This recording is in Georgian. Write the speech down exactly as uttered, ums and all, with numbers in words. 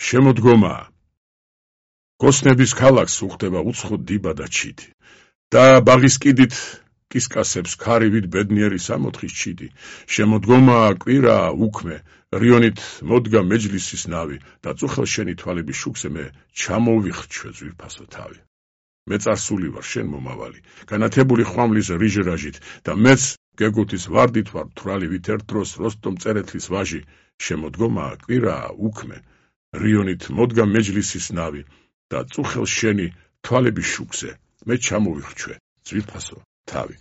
შემოდგომაა. გოსნების ქალაქს უხდება უცხო დება და ჩიტი. და ბაღის კიდით კისკასებს ქარივით ბედნიერი სამოთხის ჩიტი. შემოდგომაა, კვირაა, უქმე, რიონით მოდგა მეჯლისის ნავი და წუხელ შენი თვალების შუქზე მე ჩამოვიხრჩვე ძვირფასო თავი. მე წარსული ვარ შენ მომავალი, განათებული ხვამლის რიჟრაჟით და მეც გეგუთის ვარდით ვარ თვალივით ერთ დროს როსტომ წერეთლის ვაჟი. შემოდგომაა, კვირაა, უქმე, რიონით მოდგა მეჯლისის ნავი და წუხელ შენი თვალების შუქზე მე ჩამოვიხრჩვე ძვირფასო თავი.